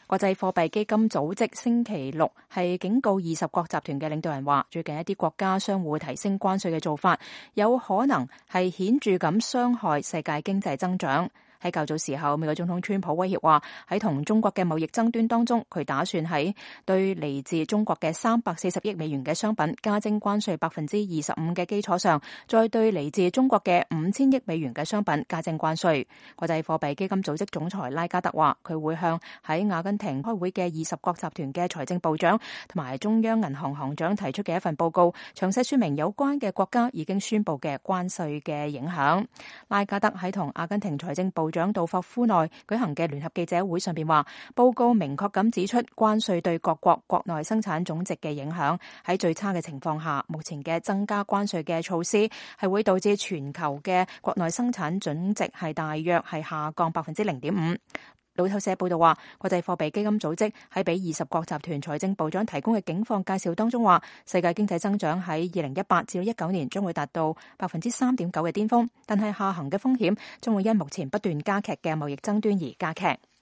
國際貨幣基金組織星期六係警告20國集團嘅領導人話，最近一啲國家相互提升關稅嘅做法，有可能係顯著咁傷害世界經濟增長。喺較早時候，美國總統川普威脅話，喺同中國嘅貿易爭端當中，佢打算喺對嚟自中國嘅340億美元嘅商品加徵關稅25%嘅基礎上，再對嚟自中國嘅5000億美元嘅商品加徵關稅。國際貨幣基金組織總裁拉加德話，佢會向喺阿根廷開會嘅20國集團嘅財政部長同埋中央銀行行長提出嘅一份報告，詳細說明有關嘅國家已經宣布嘅關稅嘅影響。拉加德喺同阿根廷財政部長杜霍夫內舉行嘅聯合記者會上邊話，報告明確咁指出，關稅對各國國內生產總值嘅影響。喺最差嘅情況下，目前嘅增加關稅嘅措施係會導致全球嘅國內生產總值係大約係下降0.5%。路透社報道話，國際貨幣基金組織喺俾20國集團財政部長提供嘅境況介紹當中話，世界經濟增長喺2018至19年將會達到3.9%嘅巔峰，但係下行嘅風險將會因目前不斷加劇嘅貿易爭端而加劇。